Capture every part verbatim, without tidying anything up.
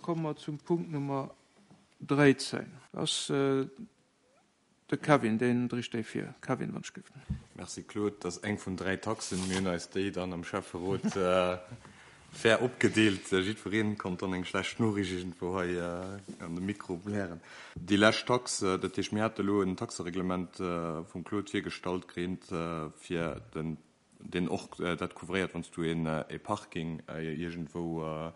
komme mer zum Punkt Nummer dräizéng. Dat ass de Kevin, deen dréit déi vir. Kevin, wann ech géif. Merci Claude. Dat ass eng vun dräi Taxen. Mir hunn eis déi dann am Schäfferot fair opgedeelt. Jiddweree konnt dann eng schlecht Noriicht iergendwou hei an de Mikro blären. Déi lescht Tax, dat heescht, mir hate elo en Taxereglement vum Claude virgestallt kritt, fir den, deen och dat couvréiert, wann s du een e Parking iergendwou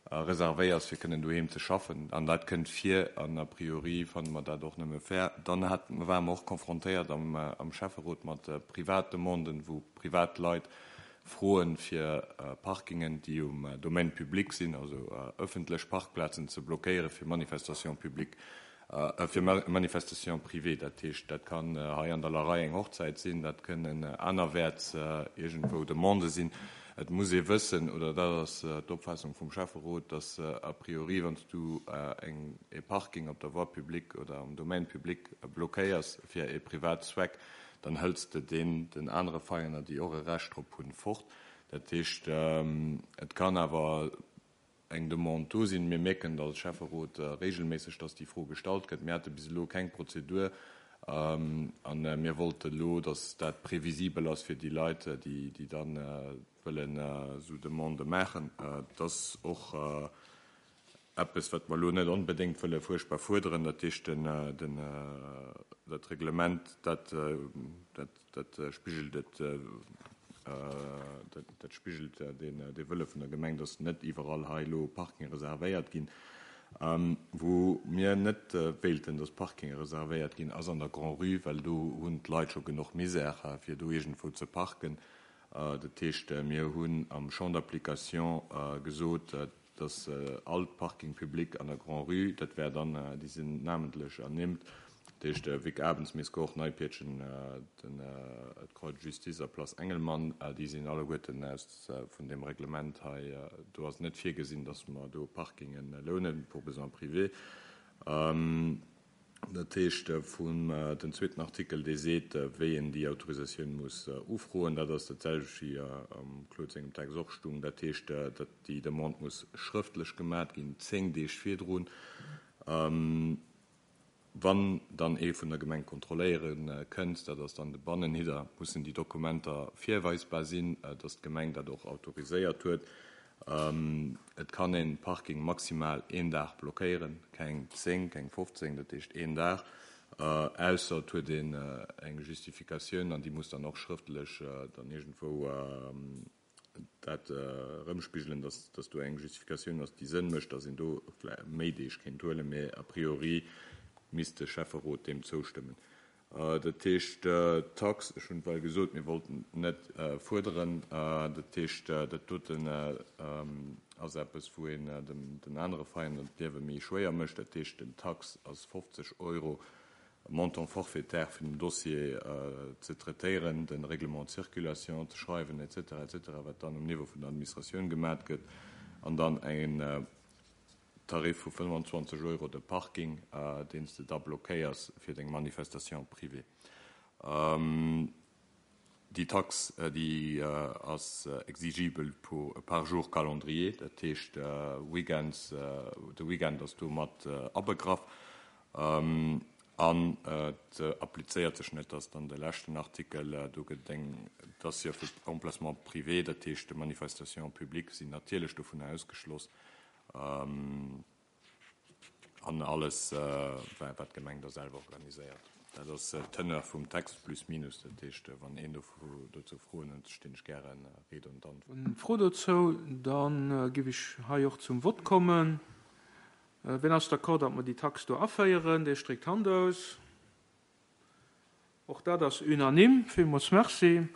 reservéiers, fir kënnen doheem ze schaffen. An dat kënnt vir an a priori fanne mer dat och nëmme fair. Dann hat, ware mer och confrontéiert am, am Schäfferot mat Privatdemanden, wou privat Leit froen, fir Parkingen, déi um Domaine public sinn, also ëffentlech Parkplazen ze blockéiere fir Manifestation publique, fir Manifestation privée. Dat heescht, dat kann hei an der Larei eng Hochzäit sinn, dat kënnen anerwäerts iergendwou Demandë sinn. Et muss ee wëssen, oder dat ass d'Opfaassung vum Schäfferot, dass a priori, wann s du eng e Parking op der Voie publique oder am Domaine public blockéiers fir e privat Zweck, dann hëls de deen den anere Veiener, déi och e Recht drop hunn, fort. Dat heescht, et kann awer eng Demande do sinn. Mir mierken als Schäfferot regelméisseg, dass déi Fro gestallt gëtt. Mir hate bis elo keng Prozedur a mir wollte elo, dass dat previsibel ass fir déi Leit, déi déi dann wëllen esou Demandë maachen. Et ass och eppes, wat mer elo net onbedéngt wëlle fuerchtbar fuerderen. Dat heescht, den, den, dat Reglement, dat, dat, dat spigelt et, dat, dat spigelt den, de Wëlle vun der Gemeng, dass net iwwerall hei elo Parking reservéiert ginn. Wou mir net wéilten, dass Parkinge reservéiert ginn, ass an der Grand-Rue, well do hunn d'Leit scho genuch Misère, fir do iergendwou ze parken. Dat heescht, mir hunn am Champ d'application gesot, dass all d'Parking public an der Grand-Rue, dat wär dann, déi sinn namentlech ernimmt, dat heescht Vic Abens, Mescourt, Neipiertchen, den d'Croix de Justice a Place Engelmann, déi sinn alleguerten aus vun deem Reglement hei. Do ass net virgesinn, dass mer do Parkingen lounen pour besoins privés. Dat heescht, vun den zweeten Artikel, dee seet, wéi een déi Autorisatioun muss ufroen, dat ass dat selwecht wéi am Claude sengem Text och stung. Dat heescht, datt déi Demande muss schrëftlech gemat ginn, zéng Deeg virdrun. Wann dann ee vun der Gemeng kontrolléiere kënnt, dat ass dann de Bannenhidder, mussen déi Dokumenter virweisbar sinn, datt d'Gemeng dat och autoriséiert huet. Et kann een Parking maximal een Dag blockéieren, keng zéng, keng fofzéng, dat heescht een Dag, ausser et huet een eng Justifikatioun an déi muss dann och schrëftlech dann iergendwou dat erëmspigelen, dass dass do eng Justifikatioun ass, déi Sënn mécht, dass een do méi Deeg kéint huelen, mä a priori misst de Schäfferot deem zoustëmmen. Dat heescht, d'Tax, ech hunn et well gesot, mir wollten net fuerderen, dat heescht, dat doten ass eppes, wou een den anere Veräiner d'Liewe méi schwéier mécht. Dat heescht, den Tax ass fofzeg Euro Montant forfaitaire fir den Dossier ze traitéieren, de Règlement de circulation ze schreiwen, et cetera, et cetera, wat dann um Niveau vun der Administratioun gemat gëtt, an dann en Tarif vu fënnwanzwanzeg Euro de Parking, deen s de da blockéiers fir deng Manifestation privée. Déi Tax, déi ass exigibel par jour calendrier, dat heescht weekends, de Weekend ass do mat abegraff. An et applizéiert sech net, dass dann de leschten Artikel, do gëtt eng, et ass jo fir Emplacement privé, dat heescht Manifestations publiques sinn natierlech dovunner ausgeschloss, an alles, wat d'Gemeng da selwer organiséiert. Dat ass d'Teneur vum Text plus minus. Dat heescht, wann een dozou Froen huet, stinn ech gäre Ried und Antwort. Fro dozou, da géif ech hei och zum Vott kommen. Wien ass d'accord, datt mer déi Tax do aféieren? Dee streckt d'Hand aus. Och dat ass unanime. Villmools merci.